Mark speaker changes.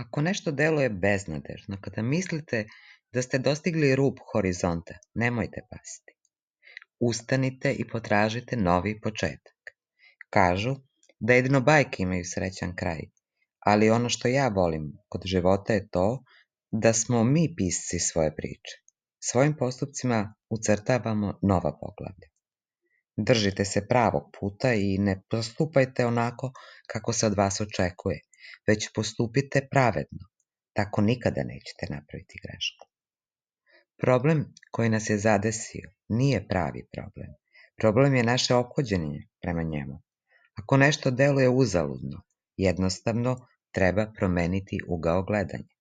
Speaker 1: Ako nešto deluje beznadežno, kada mislite da ste dostigli rub horizonta, nemojte pasti. Ustanite i potražite novi početak. Kažu da jedino bajke imaju srećan kraj, ali ono što ja volim kod života je to da smo mi pisci svoje priče. Svojim postupcima ucrtavamo nova poglavlja. Držite se pravog puta i ne postupajte onako kako se od vas očekuje, već postupite pravedno, tako nikada nećete napraviti grešku. Problem koji nas je zadesio nije pravi problem. Problem je naše ophođenje prema njemu. Ako nešto deluje uzaludno, jednostavno treba promeniti ugao gledanja.